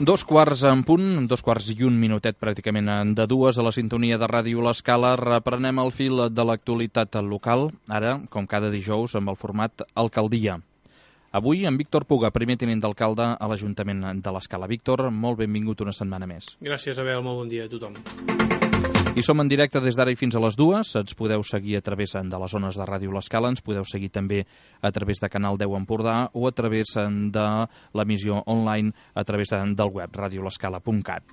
Dos quarts en punt, 2:01 pràcticament de dues a la sintonia de Ràdio L'Escala. Reprenem el fil de l'actualitat local, ara, com cada dijous, amb el format Alcaldia. Avui, en Víctor Puga, primer tinent d'alcalde a l'Ajuntament de l'Escala. Víctor, molt benvingut una setmana més. Gràcies, Abel, molt bon dia a tothom. I som en directe des d'ara i fins a les dues. Ens podeu seguir a través de les zones de Ràdio L'Escala, ens podeu seguir també a través de Canal 10 Empordà o a través de l'emissió online a través del web radiolescala.cat.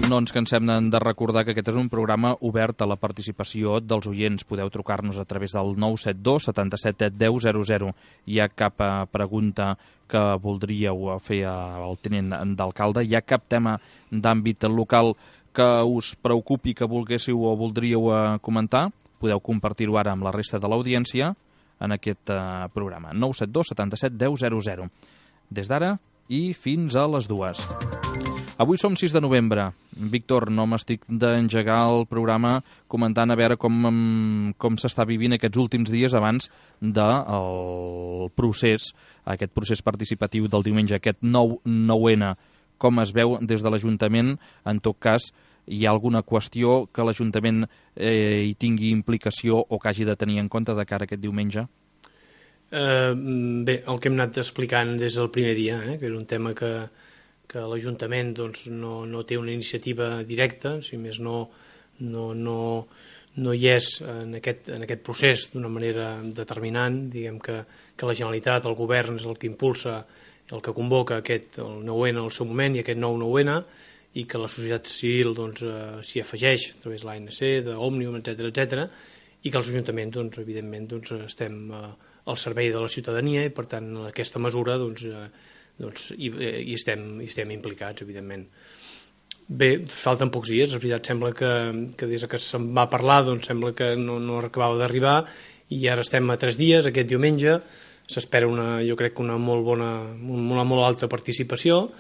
No ens cansem de recordar que aquest és un programa obert a la participació dels oients. Podeu trucar-nos a través del 972 77 10 00. Hi ha cap pregunta que voldríeu fer al tinent d'alcalde? Hi ha cap tema d'àmbit local que us preocupi, que volguéssiu o voldríeu comentar? Podeu compartir-ho ara amb la resta de l'audiència en aquest programa. 972 77 10 00. Des d'ara i fins a les dues. Avui som 6 de novembre. Víctor, no m'estic d'engegar el programa comentant a veure com s'està vivint aquests últims dies abans del procés, aquest procés participatiu del diumenge, aquest 9-9N. Com es veu des de l'Ajuntament? En tot cas, hi ha alguna qüestió que l'Ajuntament hi tingui implicació o que hagi de tenir en compte de cara a aquest diumenge? Bé, el que hem anat explicant des del primer dia, que era un tema que l'Ajuntament no té una iniciativa directa, si més no hi és en aquest procés d'una manera determinant. Diguem que la Generalitat, el govern, és el que impulsa, el que convoca el 9N al seu moment i aquest 9-9N, i que la societat civil s'hi afegeix a través de l'ANC, d'Òmnium, etc., i que els ajuntaments, evidentment, estem al servei de la ciutadania i, per tant, en aquesta mesura hi estem implicats, evidentment. Bé, falten pocs dies, és veritat, sembla que des que se'n va parlar sembla que no acabava d'arribar, i ara estem a 3 dies, aquest diumenge. S'espera jo crec que una molt alta participació.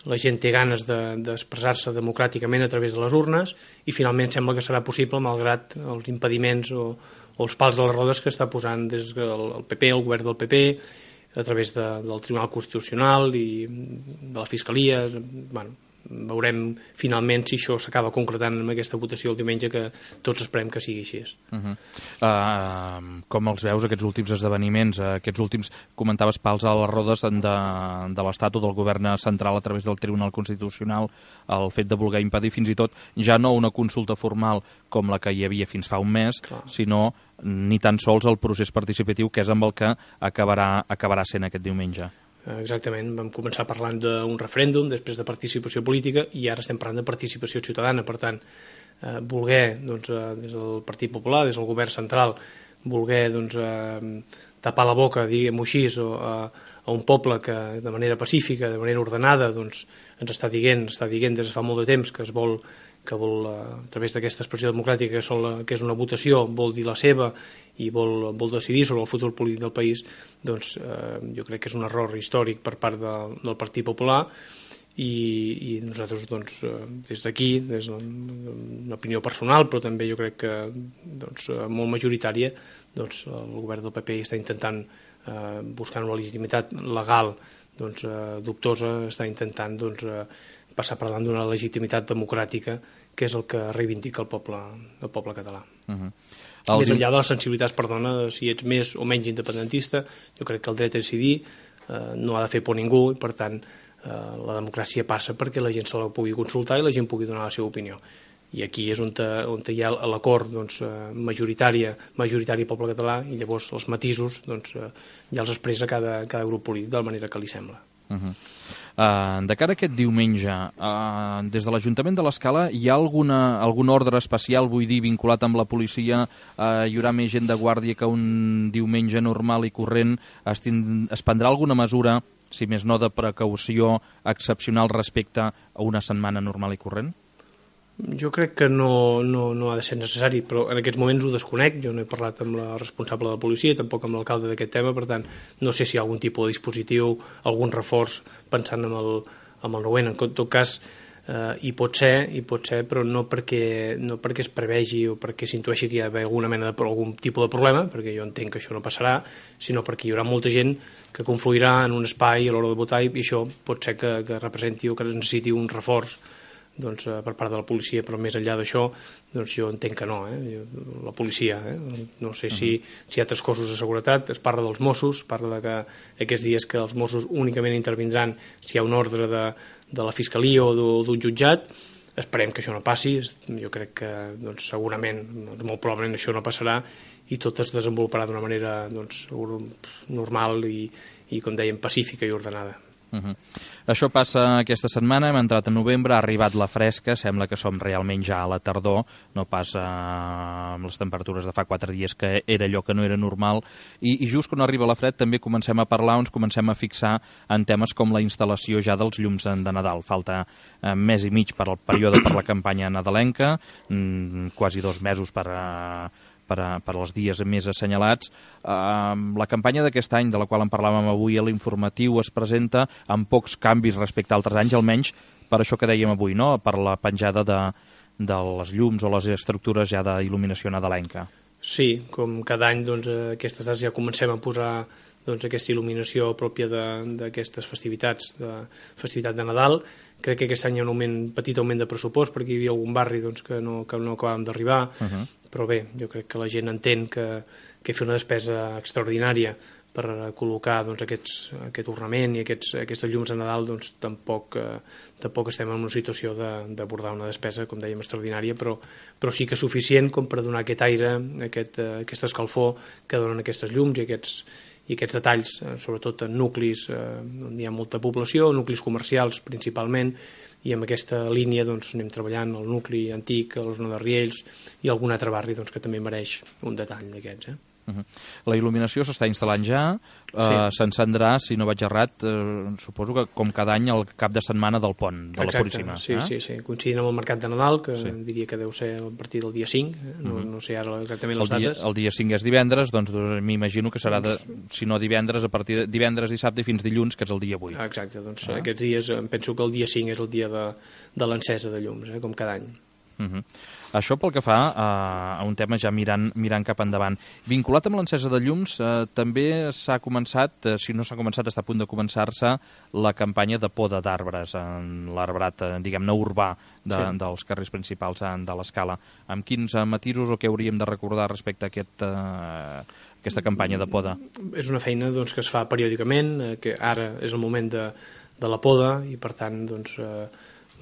La gent té ganes d'expressar-se democràticament a través de les urnes, i finalment sembla que serà possible malgrat els impediments o els pals de les rodes que està posant des del PP, el govern del PP, a través del Tribunal Constitucional i de la Fiscalia. Veurem finalment si això s'acaba concretant amb aquesta votació el diumenge, que tots esperem que sigui així. Com els veus, aquests últims esdeveniments, aquests últims, comentaves, pals a les rodes de l'Estat o del govern central a través del Tribunal Constitucional, el fet de voler impedir fins i tot ja no una consulta formal com la que hi havia fins fa un mes, sinó ni tan sols el procés participatiu, que és amb el que acabarà sent aquest diumenge. Exactament, vam començar parlant d'un referèndum, després de participació política, i ara estem parlant de participació ciutadana. Per tant, voler, des del Partit Popular, des del govern central, voler tapar la boca, diguem-ho així, a un poble que de manera pacífica, de manera ordenada, ens està dient des de fa molt de temps que vol, a través d'aquesta expressió democràtica, que és una votació, vol dir la seva i vol decidir sobre el futur polític del país. Jo crec que és un error històric per part del Partit Popular, i nosaltres des d'aquí, des d'una opinió personal, però també jo crec que molt majoritària, el govern del PP està intentant buscar una legitimitat legal dubtosa, està intentant passar per davant d'una legitimitat democràtica, que és el que reivindica el poble català. Més enllà de les sensibilitats, si ets més o menys independentista, jo crec que el dret a decidir no ha de fer por a ningú, i per tant la democràcia passa perquè la gent se la pugui consultar i la gent pugui donar la seva opinió. I aquí és on hi ha l'acord majoritari del poble català, i llavors els matisos ja els expressa cada grup polític de la manera que li sembla. De cara a aquest diumenge, des de l'Ajuntament de l'Escala hi ha algun ordre especial, vull dir, vinculat amb la policia? Hi haurà més gent de guàrdia que un diumenge normal i corrent? Es prendrà alguna mesura, si més no de precaució, excepcional respecte a una setmana normal i corrent? Jo crec que no ha de ser necessari, però en aquests moments ho desconec. Jo no he parlat amb la responsable de la policia, tampoc amb l'alcalde d'aquest tema, per tant no sé si hi ha algun tipus de dispositiu, algun reforç pensant en el 9N. En tot cas, i pot ser, però no perquè es prevegi o perquè s'intueixi que hi ha algun tipus de problema, perquè jo entenc que això no passarà, sinó perquè hi haurà molta gent que confluirà en un espai a l'hora de votar, i això pot ser que representi o que necessiti un reforç per part de la policia, però més enllà d'això jo entenc que no, la policia, no sé si hi ha altres cossos de seguretat. Es parla dels Mossos, parla que aquests dies que els Mossos únicament intervindran si hi ha un ordre de la Fiscalia o d'un jutjat. Esperem que això no passi. Jo crec que segurament, molt probablement això no passarà, i tot es desenvoluparà d'una manera normal i, com dèiem, pacífica i ordenada. Això passa aquesta setmana, hem entrat a novembre, ha arribat la fresca, sembla que som realment ja a la tardor, no pas amb les temperatures de fa 4 dies, que era allò que no era normal, i just quan arriba la fred també comencem a parlar, ens comencem a fixar en temes com la instal·lació ja dels llums de Nadal. Falta mes i mig per al període per la campanya nadalenca, quasi 2 mesos per als dies més assenyalats. La campanya d'aquest any, de la qual en parlàvem avui a l'informatiu, es presenta amb pocs canvis respecte a altres anys, almenys per això que dèiem avui, no? Per la penjada de les llums o les estructures ja d'il·luminació nadalenca. Sí, com cada any aquestes dates ja comencem a posar aquesta il·luminació pròpia d'aquestes festivitats, de festivitat de Nadal. Crec que aquest any hi ha un petit augment de pressupost, perquè hi havia algun barri que no acabàvem d'arribar, però bé, jo crec que la gent entén que fer una despesa extraordinària per col·locar aquest ornament i aquestes llums de Nadal, tampoc estem en una situació d'abordar una despesa, com dèiem, extraordinària, però sí que és suficient com per donar aquest aire, aquesta escalfor que donen aquestes llums i aquests detalls, sobretot en nuclis on hi ha molta població, nuclis comercials principalment, i amb aquesta línia anem treballant el nucli antic, a la zona de Riells i algun altre barri que també mereix un detall d'aquests. La il·luminació s'està instal·lant ja, s'encendrà, si no vaig errat, suposo que com cada any el cap de setmana del pont, de la Puríssima. Sí, coincidint amb el mercat de Nadal, que diria que deu ser a partir del dia 5, no sé ara exactament les dates. El dia 5 és divendres, doncs m'imagino que serà, si no divendres, a partir de divendres, dissabte i fins dilluns, que és el dia 8. Exacte, aquests dies, penso que el dia 5 és el dia de l'encesa de llums, com cada any. Això pel que fa a un tema ja mirant cap endavant. Vinculat amb l'encesa de llums, també s'ha començat, si no s'ha començat, està a punt de començar-se la campanya de poda d'arbres en l'arbrat, diguem-ne, urbà dels carrers principals de l'Escala. Amb quins matisos o què hauríem de recordar respecte a aquesta campanya de poda? És una feina que es fa periòdicament, que ara és el moment de la poda, i per tant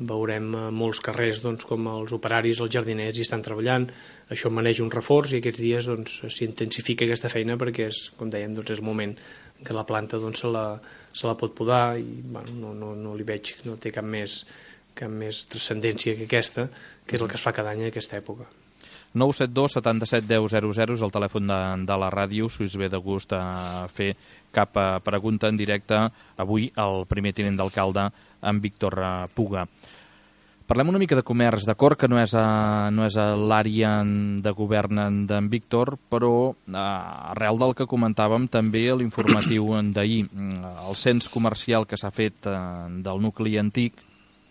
veurem molts carrers com els operaris, els jardiners hi estan treballant. Això mereix un reforç i aquests dies s'intensifica aquesta feina perquè com dèiem, és el moment que la planta se la pot podar i no li veig, no té cap més transcendència que aquesta, que és el que es fa cada any en aquesta època. 972 77 10 00 és el telèfon de la ràdio, si us ve de gust a fer cap pregunta en directe avui al primer tinent d'alcalde, en Víctor Puga. Parlem una mica de comerç, d'acord que no és a l'àrea de govern d'en Víctor, però arrel del que comentàvem també a l'informatiu d'ahir, el cens comercial que s'ha fet del nucli antic,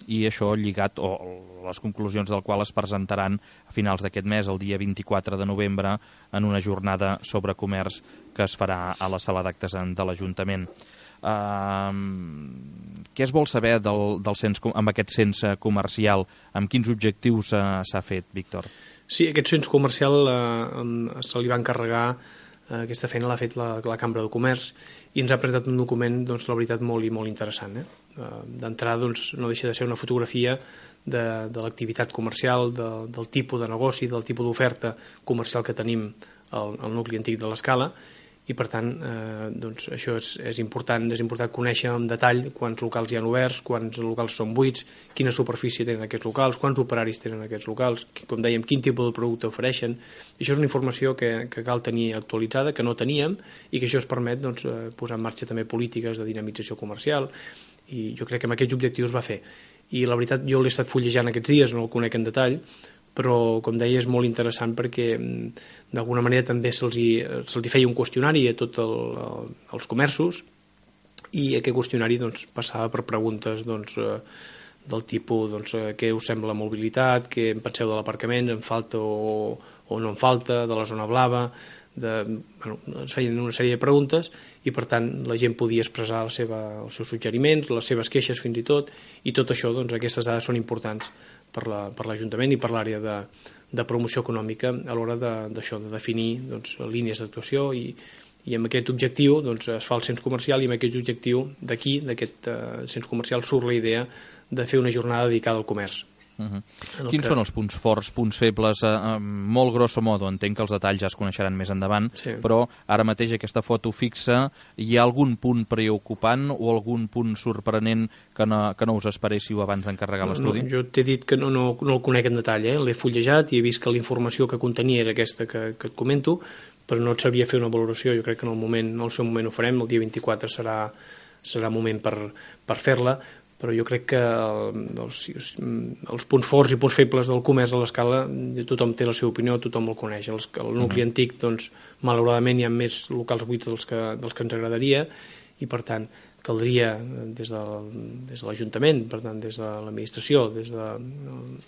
i això lligat, o les conclusions del qual es presentaran a finals d'aquest mes, el dia 24 de novembre, en una jornada sobre comerç que es farà a la sala d'actes de l'Ajuntament. Què es vol saber amb aquest cens comercial? Amb quins objectius s'ha fet, Víctor? Sí, aquest cens comercial se li va encarregar, aquesta feina l'ha fet la Cambra de Comerç, i ens ha presentat un document, la veritat, molt i molt interessant. D'entrada, no deixa de ser una fotografia de l'activitat comercial, del tipus de negoci, del tipus d'oferta comercial que tenim al nucli antic de l'Escala, i per tant això és important conèixer en detall quants locals hi ha oberts, quants locals són buits, quina superfície tenen aquests locals, quants operaris tenen aquests locals, com dèiem, quin tipus de producte ofereixen. Això és una informació que cal tenir actualitzada, que no teníem, i que això es permet posar en marxa també polítiques de dinamització comercial, i jo crec que amb aquests objectius va fer. I la veritat, jo l'he estat fullejant aquests dies, no el conec en detall, però, com deia, és molt interessant perquè d'alguna manera també se'ls feia un qüestionari a tots els comerços, i aquest qüestionari passava per preguntes del tipus què us sembla la mobilitat, què en penseu de l'aparcament, en falta o no en falta, de la zona blava, es feien una sèrie de preguntes i per tant la gent podia expressar els seus suggeriments, les seves queixes fins i tot això, aquestes dades són importants per l'Ajuntament i per l'àrea de promoció econòmica a l'hora de definir línies d'actuació i amb aquest objectiu es fa el cens comercial i amb aquest objectiu d'aquest cens comercial surt la idea de fer una jornada dedicada al comerç. Quins són els punts forts, punts febles, molt grosso modo, entenc que els detalls ja es coneixeran més endavant, però ara mateix aquesta foto fixa, hi ha algun punt preocupant o algun punt sorprenent que no us esperéssiu abans d'encarregar l'estudi? Jo t'he dit que no el conec en detall, l'he fullejat i he vist que la informació que contenia era aquesta que et comento, però no et sabria fer una valoració. Jo crec que en el seu moment ho farem, el dia 24 serà moment per fer-la, però jo crec que els punts forts i punts febles del comerç a l'Escala tothom té la seva opinió, tothom el coneix. El nucli antic, malauradament hi ha més locals buits dels que ens agradaria i per tant caldria des de l'Ajuntament, per tant des de l'administració, des de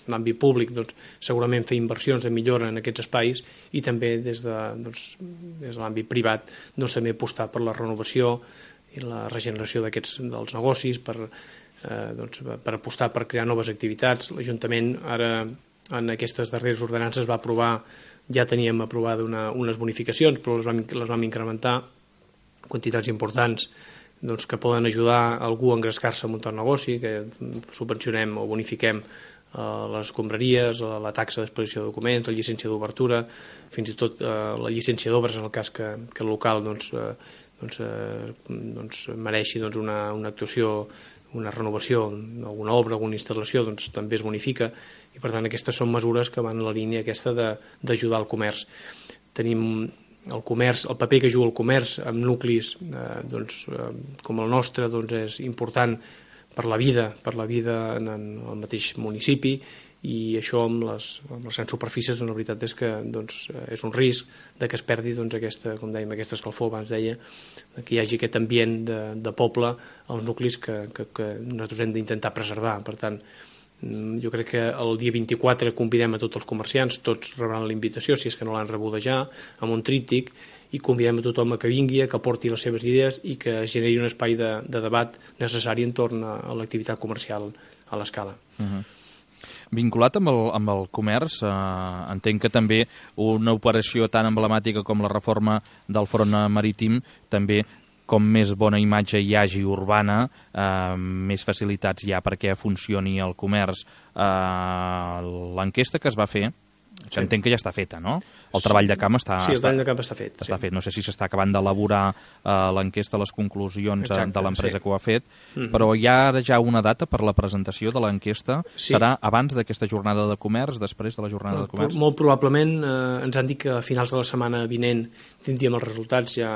l'àmbit públic, segurament fer inversions de millora en aquests espais i també des de l'àmbit privat també apostar per la renovació i la regeneració dels negocis, per apostar per crear noves activitats. L'Ajuntament ara en aquestes darreres ordenances va aprovar, ja teníem aprovada unes bonificacions, però les vam incrementar, quantitats importants que poden ajudar algú a engrescar-se a muntar un negoci, que subvencionem o bonifiquem les escombraries, la taxa d'expedició de documents, la llicència d'obertura, fins i tot la llicència d'obres en el cas que el local mereixi una actuació, una renovació, alguna obra, alguna instal·lació, també es bonifica i per tant aquestes són mesures que van en la línia aquesta d'ajudar al comerç. Tenim el comerç, el paper que juga el comerç amb nuclis com el nostre és important per la vida en el mateix municipi i això amb les grans superfícies la veritat és que és un risc que es perdi aquesta escalfor, abans deia, que hi hagi aquest ambient de poble als nuclis que nosaltres hem d'intentar preservar. Per tant, jo crec que el dia 24 convidem a tots els comerciants, tots rebran la invitació si és que no l'han rebuda ja, amb un tríptic, i convidem a tothom que vingui, que porti les seves idees i que generi un espai de debat necessari entorn a l'activitat comercial a l'Escala. Vinculat amb el comerç, entenc que també una operació tan emblemàtica com la reforma del front marítim també, com més bona imatge hi hagi urbana, més facilitats hi ha perquè funcioni el comerç. L'enquesta que es va fer, que entenc que ja està feta, no? El treball de camp està... Sí, el treball de camp està fet. Està fet. No sé si s'està acabant d'elaborar l'enquesta, les conclusions de l'empresa que ho ha fet, però hi ha ara ja una data per la presentació de l'enquesta. Serà abans d'aquesta jornada de comerç, després de la jornada de comerç? Molt probablement ens han dit que a finals de la setmana vinent tindríem els resultats, ja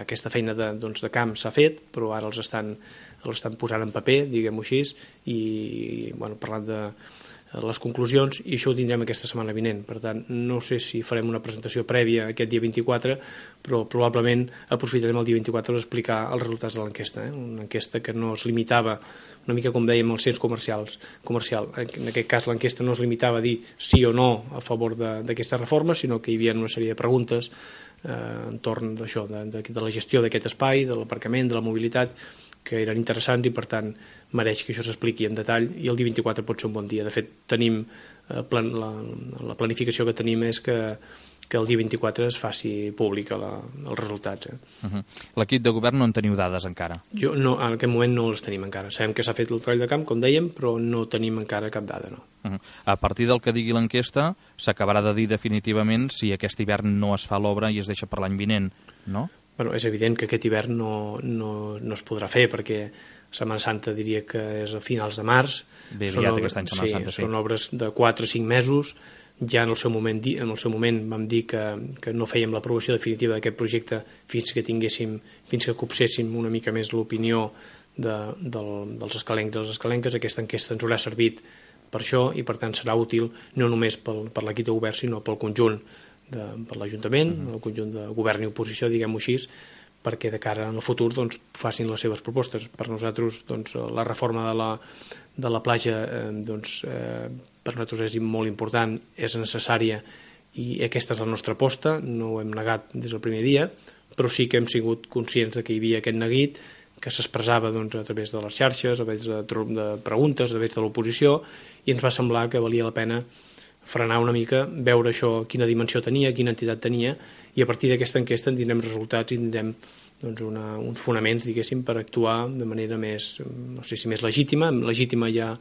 aquesta feina de camp s'ha fet, però ara els estan posant en paper, diguem-ho així, i parlant de les conclusions, i això ho tindrem aquesta setmana vinent. Per tant, no sé si farem una presentació prèvia aquest dia 24, però probablement aprofitarem el dia 24 per explicar els resultats de l'enquesta. Una enquesta que no es limitava, una mica com dèiem, als cens comercial. En aquest cas l'enquesta no es limitava a dir sí o no a favor d'aquesta reforma, sinó que hi havia una sèrie de preguntes entorn d'això, de la gestió d'aquest espai, de l'aparcament, de la mobilitat, que eren interessants i per tant mereix que això s'expliqui en detall i el dia 24 pot ser un bon dia. De fet, tenim la planificació que tenim és que el dia 24 es faci públic els resultats. L'equip de govern no en teniu dades encara? En aquest moment no les tenim encara. Sabem que s'ha fet el treball de camp, com dèiem, però no tenim encara cap dada, no. A partir del que digui l'enquesta s'acabarà de dir definitivament si aquest hivern no es fa l'obra i es deixa per l'any vinent, no? És evident que aquest hivern no es podrà fer perquè Setmana Santa diria que és a finals de març. Bé aviat aquest any Setmana Santa, sí. Són obres de 4 o 5 mesos. Ja en el seu moment vam dir que no fèiem l'aprovació definitiva d'aquest projecte fins que copséssim una mica més l'opinió dels escalencs i les escalenques. Aquesta enquesta ens haurà servit per això i per tant serà útil no només per l'equip de govern sinó pel conjunt per l'Ajuntament, el conjunt de govern i oposició, diguem-ho així, perquè de cara al futur doncs, facin les seves propostes. Per nosaltres doncs, la reforma de la platja per nosaltres és molt important, és necessària i aquesta és la nostra aposta, no ho hem negat des del primer dia, però sí que hem sigut conscients que hi havia aquest neguit que s'expressava doncs, a través de les xarxes, a través de preguntes, a través de l'oposició, i ens va semblar que valia la pena frenar una mica, veure això, quina dimensió tenia, quina entitat tenia, i a partir d'aquesta enquesta en tindrem resultats i tindrem doncs, uns fonaments, diguéssim, per actuar de manera més, no sé si més legítima. Legítima ja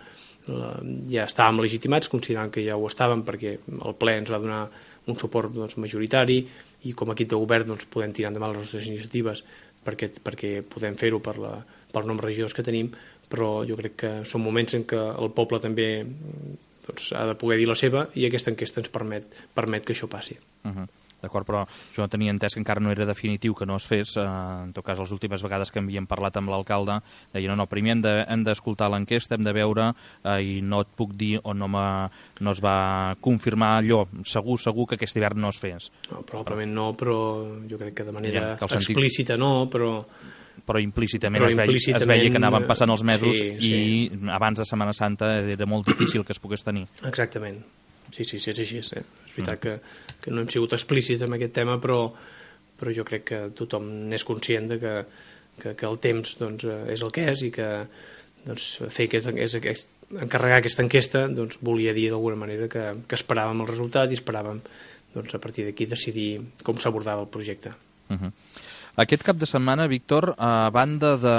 estàvem legitimats, considerant que ja ho estàvem, perquè el ple ens va donar un suport doncs, majoritari, i com a equip de govern doncs, podem tirar endavant les nostres iniciatives perquè podem fer-ho pel nombre de regidors que tenim, però jo crec que són moments en què el poble també doncs, ha de poder dir la seva, i aquesta enquesta ens permet que això passi. D'acord, però jo no tenia entès que encara no era definitiu que no es fes. En tot cas, les últimes vegades que havíem parlat amb l'alcalde deia no, primer hem d'escoltar l'enquesta, hem de veure, i no et puc dir o no es va confirmar allò segur que aquest hivern no es fes. No, probablement no, però jo crec que de manera explícita no, però implícitament es veia que anaven passant els mesos i abans de Setmana Santa era molt difícil que es pogués tenir. Exactament. Sí, és així. És veritat que no hem sigut explícits en aquest tema, però jo crec que tothom n'és conscient de que el temps doncs, és el que és, i que doncs, encarregar aquesta enquesta doncs, volia dir d'alguna manera que esperàvem el resultat i esperàvem doncs, a partir d'aquí decidir com s'abordava el projecte. Aquest cap de setmana, Víctor, a banda de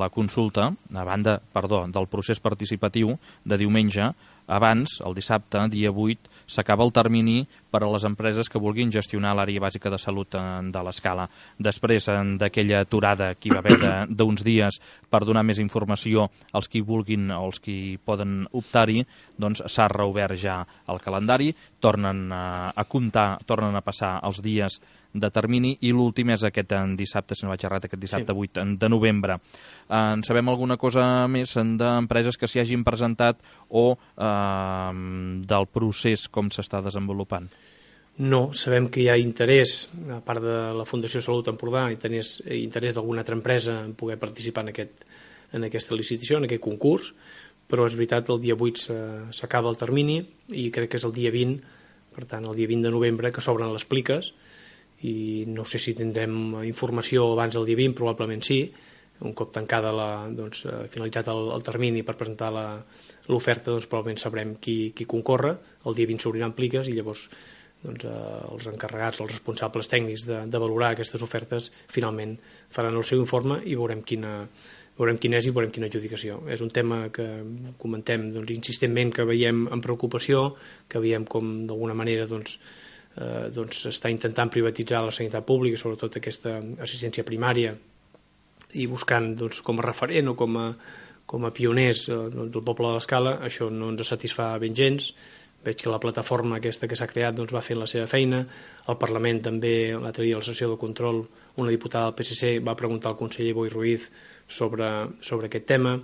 la consulta, del procés participatiu de diumenge, abans, el dissabte, dia 8, s'acaba el termini per a les empreses que vulguin gestionar l'àrea bàsica de salut de l'Escala. Després d'aquella aturada que hi va haver d'uns dies per donar més informació als qui vulguin o als qui poden optar-hi, doncs s'ha reobert ja el calendari, tornen a comptar, tornen a passar els dies de termini, i l'últim és aquest dissabte, si no vaig errat, aquest dissabte 8 de novembre. En sabem alguna cosa més d'empreses que s'hi hagin presentat o del procés com s'està desenvolupant? No, sabem que hi ha interès, a part de la Fundació Salut Empordà, interès d'alguna altra empresa en poder participar en aquesta licitació, en aquest concurs, però és veritat, el dia 8 s'acaba el termini i crec que és el dia 20, per tant el dia 20 de novembre, que s'obren les pliques, i no sé si tindrem informació abans del dia 20, probablement sí. Un cop tancada finalitzat el termini per presentar l'oferta, doncs probablement sabrem qui concorre. El dia 20 s'obriran pliques i llavors els encarregats, els responsables tècnics de valorar aquestes ofertes finalment faran el seu informe i veurem quin és i veurem quina adjudicació. És un tema que comentem insistentment, que veiem amb preocupació, que veiem com d'alguna manera està intentant privatitzar la sanitat pública, sobretot aquesta assistència primària, i buscant com a referent o com a pioners del poble de l'Escala. Això no ens satisfà ben gens. Veig que la plataforma aquesta que s'ha creat va fent la seva feina. Al Parlament també, l'altre dia a la sessió de control, una diputada del PSC va preguntar al conseller Boi Ruiz sobre aquest tema.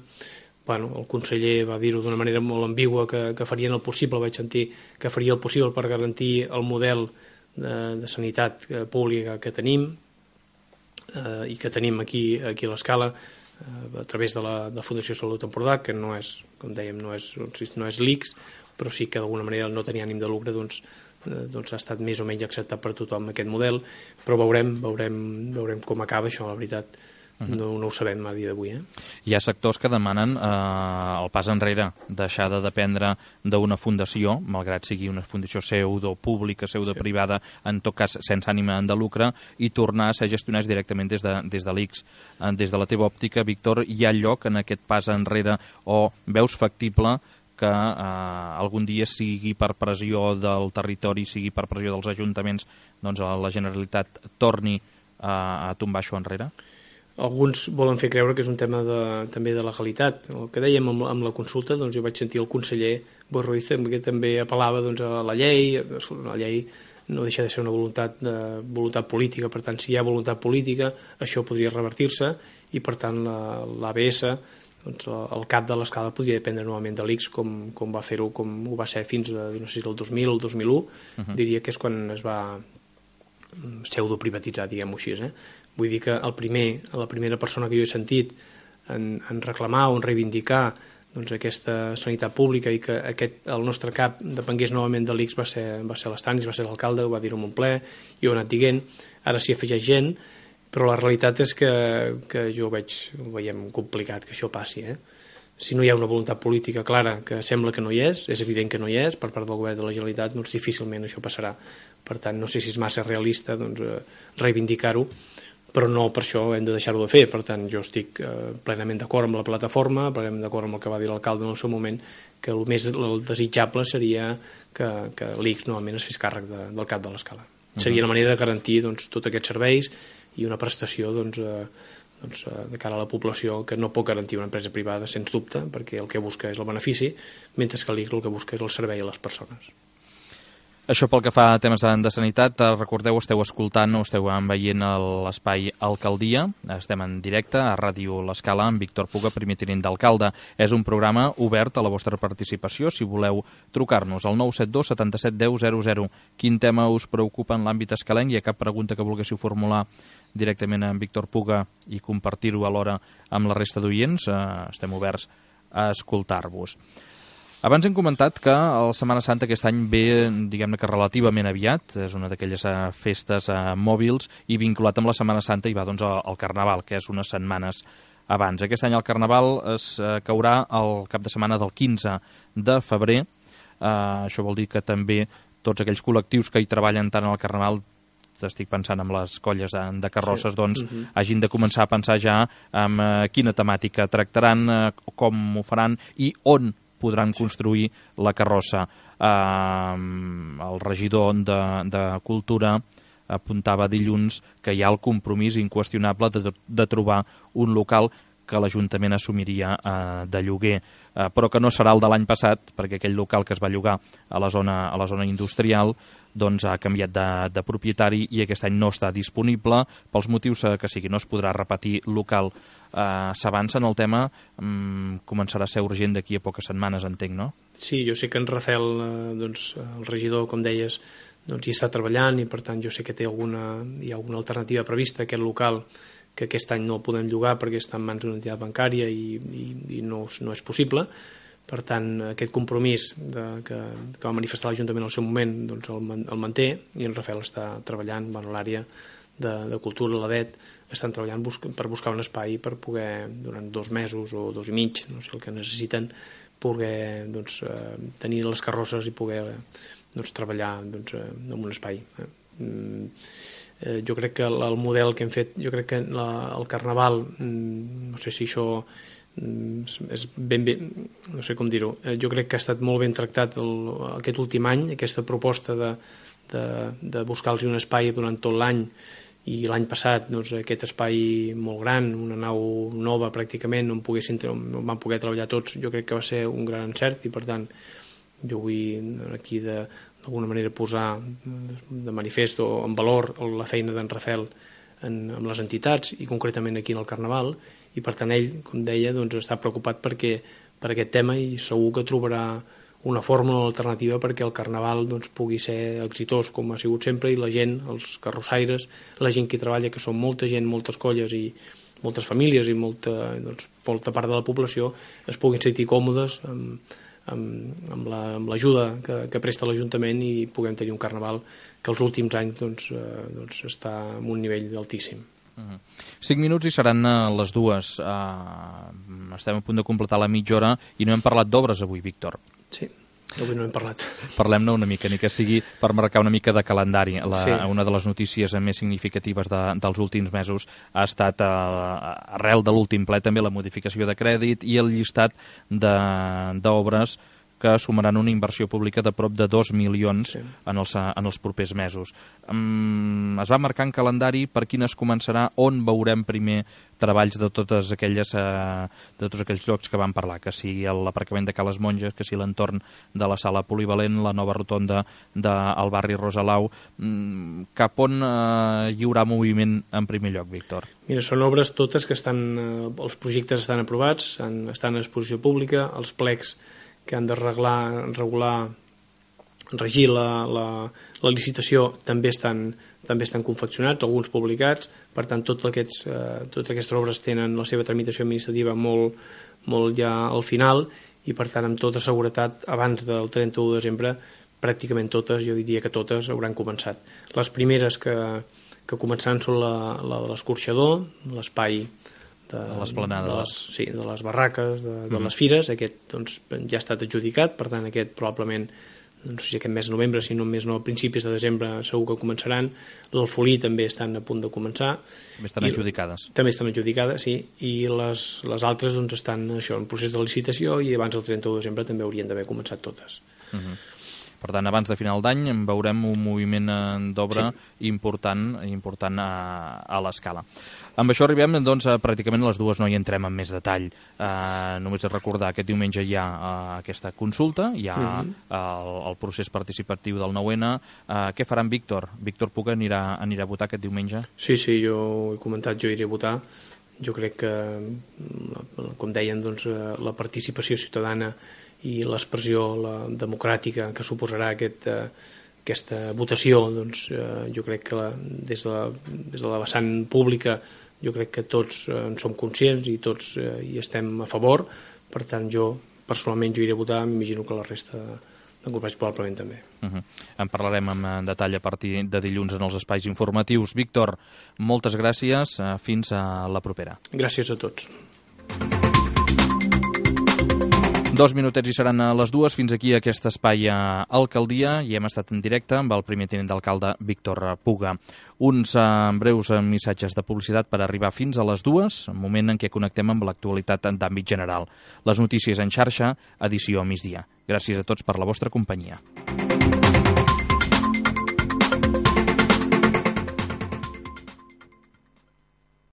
El conseller va dir-ho d'una manera molt ambigua, que farien el possible, vaig sentir que faria el possible per garantir el model de sanitat pública que tenim i que tenim aquí a l'Escala a través de la Fundació Salut Empordà, que no és, com dèiem, no és l'ICS, però sí que d'alguna manera no tenia ànim de lucre, doncs ha estat més o menys acceptat per tothom aquest model, però veurem com acaba això, la veritat. No ho sabem a dia d'avui. Hi ha sectors que demanen el pas enrere, deixar de dependre d'una fundació, malgrat sigui una fundació pseudo-pública, pseudo-privada, en tot cas sense ànima de lucre, i tornar a ser gestionats directament des de l'ICS. Des de la teva òptica, Víctor, hi ha lloc en aquest pas enrere o veus factible que algun dia, sigui per pressió del territori, sigui per pressió dels ajuntaments, doncs la Generalitat torni a tombar això enrere? Alguns volen fer creure que és un tema també de legalitat. El que dèiem amb la consulta, jo vaig sentir el conseller Boi Ruiz que també apel·lava a la llei. La llei no deixa de ser una voluntat política, per tant, si hi ha voluntat política, això podria revertir-se, i per tant l'ABS, el cap de l'Escala, podria dependre novament de l'ICS, com va fer-ho, com ho va ser fins a, no sé si el 2000 o el 2001, diria que és quan es va pseudoprivatitzar, diguem-ho així. Vull dir que la primera persona que jo he sentit en reclamar o en reivindicar aquesta sanitat pública i que el nostre cap depengués novament de l'ICS va ser l'Estanis, va ser l'alcalde, ho va dir-ho en un ple, i ho he anat dient. Ara s'hi afegeix gent, però la realitat és que jo ho veiem complicat que això passi. Si no hi ha una voluntat política clara, que sembla que no hi és evident que no hi és, per part del govern de la Generalitat, doncs difícilment això passarà. Per tant, no sé si és massa realista reivindicar-ho, però no per això hem de deixar-ho de fer. Per tant, jo estic plenament d'acord amb la plataforma, plenament d'acord amb el que va dir l'alcalde en el seu moment, que el més desitjable seria que l'ICS novament es fes càrrec del cap de l'escala. Seria la manera de garantir tots aquests serveis i una prestació de cara a la població que no pot garantir una empresa privada, sens dubte, perquè el que busca és el benefici, mentre que l'ICS el que busca és el servei a les persones. Això pel que fa a temes de sanitat, recordeu, esteu escoltant o esteu veient l'espai Alcaldia, estem en directe a Ràdio L'Escala amb Víctor Puga, primer tinent d'alcalde. És un programa obert a la vostra participació, si voleu trucar-nos al 972 77 10 00. Quin tema us preocupa en l'àmbit escalenc? Hi ha cap pregunta que volguéssiu formular directament amb Víctor Puga i compartir-ho alhora amb la resta d'oients? Estem oberts a escoltar-vos. Abans hem comentat que la Setmana Santa aquest any ve, diguem-ne que relativament aviat, és una d'aquelles festes mòbils i vinculat amb la Setmana Santa hi va el Carnaval, que és unes setmanes abans. Aquest any el Carnaval es caurà el cap de setmana del 15 de febrer. Això vol dir que també tots aquells col·lectius que hi treballen tant al Carnaval, estic pensant en les colles de carrosses, hagin de començar a pensar ja en quina temàtica tractaran, com ho faran i on podran construir la carrossa. El regidor de Cultura apuntava dilluns que hi ha el compromís inqüestionable de trobar un local que l'Ajuntament assumiria de lloguer, però que no serà el de l'any passat, perquè aquell local que es va llogar a la zona industrial ha canviat de propietari i aquest any no està disponible, pels motius que sigui, no es podrà repetir local. S'avança en el tema, començarà a ser urgent d'aquí a poques setmanes, entenc, no? Sí, jo sé que en Rafel, el regidor, com deies, hi està treballant i per tant jo sé que hi ha alguna alternativa prevista a aquest local, que aquest any no el podem llogar perquè està en mans d'una entitat bancària i no és possible. Per tant, aquest compromís que va manifestar l'Ajuntament al seu moment el manté i en Rafel està treballant, l'àrea de cultura, l'ADET, estan treballant per buscar un espai per poder, durant 2 mesos o 2 i mig, no sé el que necessiten, poder tenir les carrosses i poder treballar en un espai. Jo crec que el model que hem fet, jo crec que el Carnaval, no sé si això és ben bé, no sé com dir-ho, jo crec que ha estat molt ben tractat aquest últim any, aquesta proposta de buscar-los un espai durant tot l'any, i l'any passat aquest espai molt gran, una nau nova pràcticament, on van poder treballar tots, jo crec que va ser un gran encert i per tant jo vull aquí d'alguna manera posar de manifest o en valor la feina d'en Rafel amb les entitats i concretament aquí en el Carnaval, i per tant ell, com deia, està preocupat per aquest tema i segur que trobarà una fórmula alternativa perquè el Carnaval pugui ser exitós com ha sigut sempre i la gent, els carrossaires, la gent que hi treballa, que són molta gent, moltes colles i moltes famílies i molta part de la població, es puguin sentir còmodes amb l'ajuda que presta l'Ajuntament i puguem tenir un Carnaval que els últims anys està en un nivell altíssim. 5 minuts i seran les 2. Estem a punt de completar la mitja hora i no hem parlat d'obres avui, Víctor. Sí, avui no hem parlat. Parlem-ne una mica, ni que sigui per marcar una mica de calendari. Una de les notícies més significatives dels últims mesos ha estat, arrel de l'últim ple, també la modificació de crèdit i el llistat d'obres que sumaran una inversió pública de prop de 2 milions en els propers mesos. Es va marcar en calendari per quin es començarà, on veurem primer treballs de tots aquells llocs que vam parlar, que sigui l'aparcament de Cales Monges, que sigui l'entorn de la sala polivalent, la nova rotonda del barri Rosalau. Cap on hi haurà moviment en primer lloc, Víctor? Mira, són obres totes que els projectes estan aprovats, estan en exposició pública, els plecs que han de regir la licitació també estan també estan confeccionats, alguns publicats, per tant totes aquestes obres tenen la seva tramitació administrativa molt ja al final, i per tant amb tota seguretat abans del 31 de desembre pràcticament totes, jo diria que totes hauran començat. Les primeres que començaran són la de l'escorxador, l'espai de les barraques, de les fires. Aquest ja ha estat adjudicat, per tant aquest probablement, no sé si aquest mes de novembre, si no més no a principis de desembre segur que començaran. L'Alfolí també estan a punt de començar. També estan adjudicades. També estan adjudicades, sí, i les altres estan en procés de licitació i abans del 31 de desembre també haurien d'haver començat totes. Per tant, abans de final d'any veurem un moviment d'obra important a l'escala. Amb això arribem, doncs, pràcticament a les dues, no hi entrem en més detall. Només recordar, aquest diumenge hi ha aquesta consulta, hi ha el procés participatiu del 9N. Què farà en Víctor? Víctor Puga anirà a votar aquest diumenge? Sí, jo ho he comentat, jo iré a votar. Jo crec que, com deien, la participació ciutadana i l'expressió democràtica que suposarà aquesta votació, jo crec que des de la vessant pública jo crec que tots en som conscients i tots hi estem a favor. Per tant, personalment iré a votar, m'imagino que la resta de companys probablement també. En parlarem en detall a partir de dilluns en els espais informatius. Víctor, moltes gràcies, fins a la propera. Gràcies a tots. 2 minutets i seran a les 2. Fins aquí aquest espai a Alcaldia, i hem estat en directe amb el primer tinent d'alcalde Víctor Puga. Uns breus missatges de publicitat per arribar fins a les 2, moment en què connectem amb l'actualitat d'àmbit general. Les notícies en xarxa, edició a migdia. Gràcies a tots per la vostra companyia.